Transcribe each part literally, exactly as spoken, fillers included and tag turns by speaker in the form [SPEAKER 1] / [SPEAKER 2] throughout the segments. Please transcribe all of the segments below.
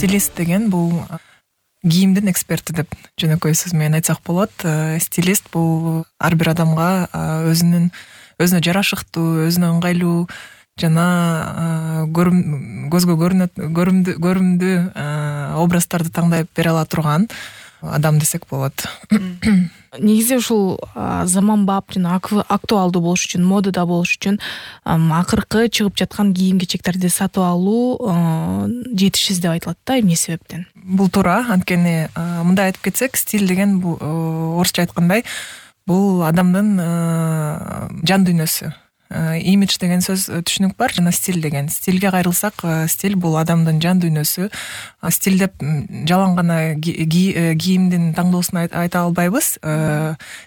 [SPEAKER 1] стилист деген бул кийимдин эксперти деп жөнөкөй сөз менен айтсак болот. Стилист бул ар бир адамга өзүнүн өзүнө жарашыктуу, өзүнө ыңгайлуу жана көзгө көрүнөт көрүмдүү образдарды таңдап бере ала турган адам десек болот.
[SPEAKER 2] Негизи ушул заманбап жана актуалдуу болуш үчүн, модада болуш үчүн акыркы чыгып жаткан кийим-кечектерди сатып алуу жетишсиз деп айтылат да, эмне себептен?
[SPEAKER 1] Бул туура. Анткени мындай айтып кетсек, стиль деген бул орусча айткандай бул адамдын жан дүйнөсү. Имидж деген сөз түшүнүк бар, жана стиль деген. Стилге кайрылсак, стиль бул адамдын жан дүйнөсү. Стиль деп жалаң гана кийимдин таңдоосун айта албайбыз.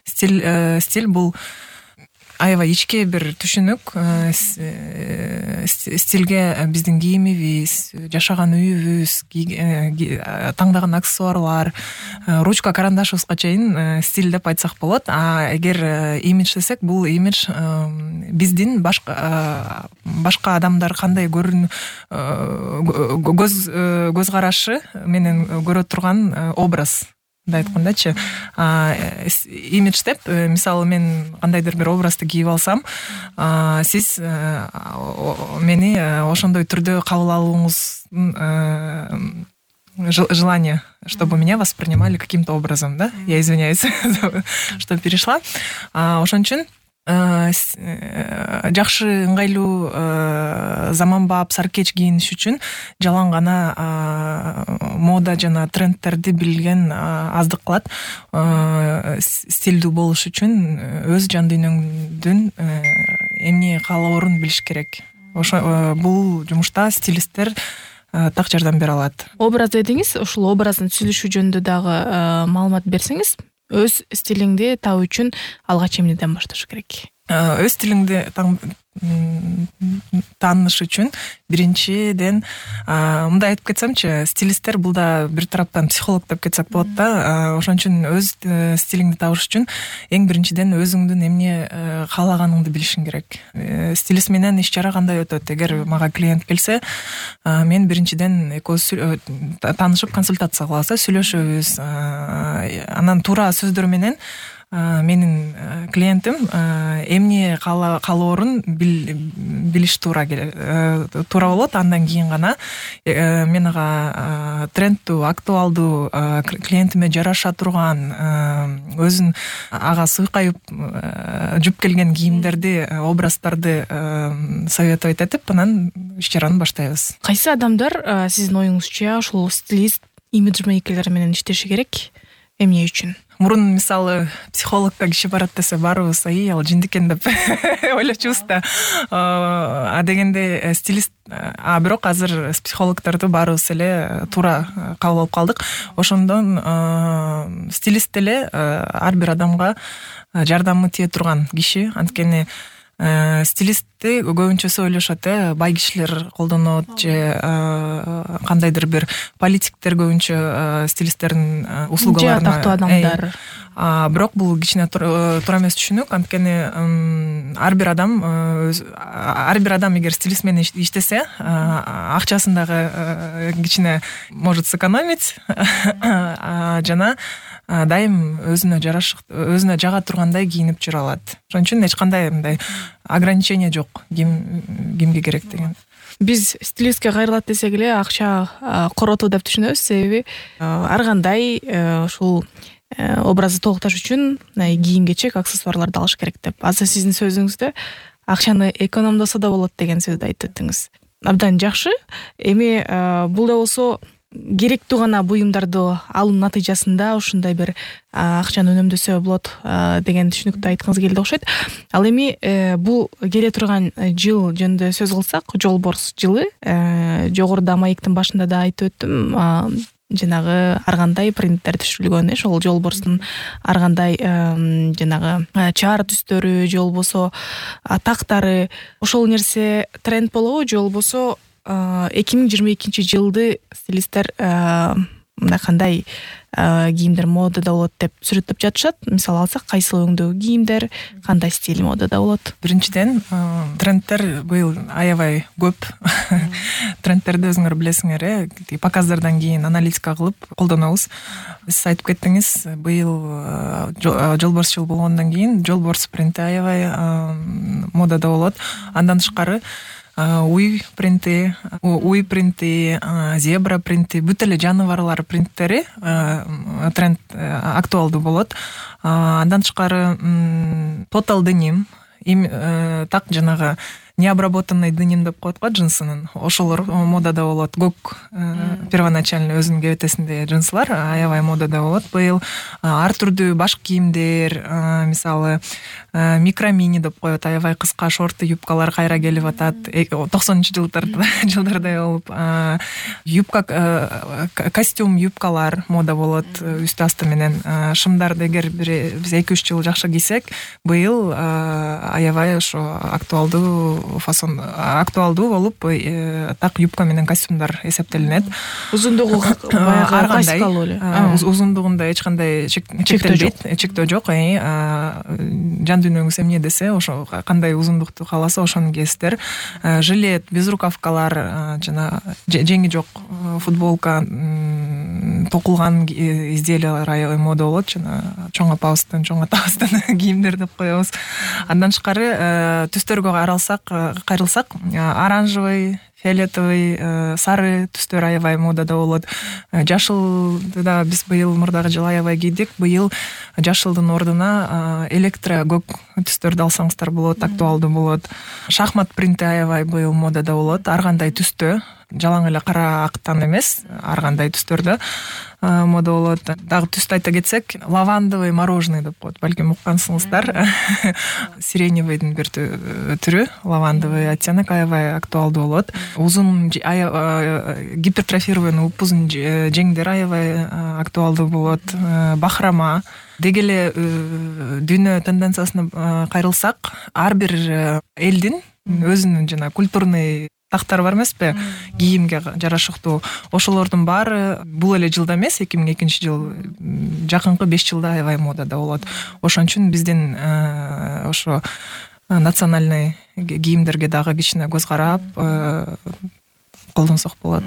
[SPEAKER 1] Стиль стиль бул аябай ички бир түшүнүк. Стилге биздин кийимибиз, жашаган үйүбүз, таңдаган аксессуарлар, ручка, карандашыбызга чейин стиль деп айтсак болот. А эгер имидж десек, бул имидж биздин башка башка адамдар кандай көрүн көз көз карашы менен көрө турган образ. Мындай айткандачы, имидж деп, мисалы мен кандайдыр бир образды кийип алсам, сиз мени ошондой түрдө кабыл алууңуздун желание, чтобы меня воспринимали каким-то образом, да? Я извиняюсь, что перешла. Ошон үчүн жакшы, ыңгайлуу, заманбап, саркеч кийиниш үчүн жалаң гана мода жана трендтерди билген аздык кылат. Стилдүү болуш үчүн өз жан дүйнөңдүн эмне каалоорун билиш керек. Ошо бул жумушта стилисттер так жардам бере алат. Образ
[SPEAKER 2] дедиңиз, ушул образдын түзүлүшү жөнүндө дагы маалымат берсеңиз, өз стилиңди табуу үчүн алгач эмнеден башташ керек?
[SPEAKER 1] Өз стилиңди тааныш үчүн биринчиден мындай айтып кетсемчи, стилисттер бул да бир тараптан психолог деп кетсек болот да. Ошон үчүн өз стилиңди табыш үчүн эң биринчиден өзүңдүн эмне каалаганыңды билишиң керек. Стилист менен иш чара кандай өтөт? Эгер мага клиент келсе, мен биринчиден экөөбүз таанышып консультация кылабыз, сүйлөшөбүз. Анан туура сөздөр менен менин клиентим эмне каалоорун билиш туура туура болот. Андан кийин гана мен ага трендтүү, актуалдуу, клиентиме жараша турган, өзүн ага сыйкайып жүп келген кийимдерди, образдарды советовать этип, анан иш чараны баштайбыз.
[SPEAKER 2] Кайсы адамдар сиздин оюңузча ушул стилист, имиджмейкерлер менен иштеши керек? Эмне үчүн?
[SPEAKER 1] Мурун мисалы психологко киши барат десе баарыбыз ай ал жиндик экен деп ойлочубуз да. А дегенде стилист, а бирок азыр психологдорду баарыбыз эле туура кабыл алып калдык. Ошондон стилист деле ар бир адамга жардамы тие турган киши. Анткени стилистти көбүнчөсү ойлошот, э, бай кишилер колдонот же кандайдыр бир политиктер көбүнчө стилисттердин услугаларына,
[SPEAKER 2] тактуу адамдар.
[SPEAKER 1] А бирок бул кичине туура эмес түшүнүк. Анткени ар бир адам ар бир адам эгер стилист менен иштесе, акчасын дагы кичине может сэкономить, жана дайым өзүнө жарашыктуу, өзүнө жага тургандай кийинип жүрө алат. Ошон үчүн эч кандай мындай ограничение жок ким кимге керек деген.
[SPEAKER 2] Биз стилистке кайрылат десек эле акча коротуу деп түшүнөбүз, себеби ар кандай ушул образды толукташ үчүн кийим-кечек, аксессуарларды алыш керек деп. Азыр сиздин сөзүңүздө акчаны экономдосо да болот деген сөздү айтып өттүңүз. Абдан жакшы. Эми бул да болсо керектүү гана буюмдарды алуу натыйжасында ушундай бир акчаны үнөмдөсө болот деген түшүнүктү айткыңыз келди окшойт. Ал эми бул келе турган жыл жөнүндө сөз кылсак, жолборс жылы, жогоруда маектин башында да айтып өттүм, жанагы ар кандай принттер түшүрүлгөн, ошол жолборстун ар кандай жанагы чаар түстөрү же болбосо тактары, ошол нерсе тренд болобу же болбосо эки миң жыйырма экинчи жылды стилисттер мындай кандай кийимдер модада болот деп сүрөттөп жатышат. Мисалы алсак, кайсыл өңдөгү кийимдер, кандай стиль модада болот?
[SPEAKER 1] Биринчиден, трендтер быйыл аябай көп. Трендтерди өзүңөр билесиңер, э, показдардан кийин аналитика кылып колдонобуз. Сиз айтып кеттиңиз, быйыл жолборс жыл болгондон кийин жолборс принти аябай модада болот. Андан тышкары уй принти, уй принти, зебра принти, бүт эле жаныбарлар принттери тренд актуалдуу болот. Андан тышкары тотал деним, так жанагы необработанный деним деп коет го, джинсынын, ошолор модада болот. Гок первоначально өзүнүн кебетесиндеги джинсылар аябай модада болот. Быйыл ар түрдүү баш кийимдер, мисалы микромини деп коет, аябай кыска шорты юбкалар кайра келип атат. токсонунчу жылдарда жылдардай болуп, юбка, костюм юбкалар мода болот үстү асты менен. Шымдарды эгер биз эки үч жыл жакшы кийсек, быйыл аябай ошо актуалдуу фасон актуалдуу болуп, так юбка менен костюмдар эсептелинет.
[SPEAKER 2] Узундугу баягы классикалуу эле.
[SPEAKER 1] Узундугунда эч кандай чектелбейт, чектөө жок. Жан дүйнөңүз эмне десе, ошо кандай узундукту кааласа ошону кийесиздер. Жилет, безрукавкалар, жана жеңи жок футболка, токулган изделиялар аябай мода болот. Жана чоң апабыздын, чоң атабыздын кийимдер деп коебуз. Андан тышкары түстөргө каралсак, кайрылсак, оранжевый, фиолетовый, сары түстөр аябай модада болот. Жашылды да биз быйыл мурдагы жыл аябай кийдик. Быйыл жашылдын ордуна электро көк түстөрдү алсаңыздар болот, актуалдуу болот. Шахмат принти аябай быйыл модада болот. Ар кандай түстө, жалаң эле кара актан эмес, ар кандай түстөрдө мода болот. Дагы түстү айта кетсек, лавандовый мороженый деп коет, балким уккансыңыздар. Сиреневыйдын бир түрү, лавандовый оттенок аябай актуалдуу болот. Узун гипертрофированный упузун жеңдер аябай актуалдуу болот. Бахрама. Деги эле дүйнө тенденциясына кайрылсак, ар бир элдин өзүнүн жана культурный тактар бар эмеспи, кийимге жарашыктуу. Ошолордун баары бул эле жылда эмес, эки миң экинчи жыл, жакынкы беш жылда аябай модада болот. Ошон үчүн биздин ошо национальный кийимдерге дагы кичине көз карап колдонсок болот.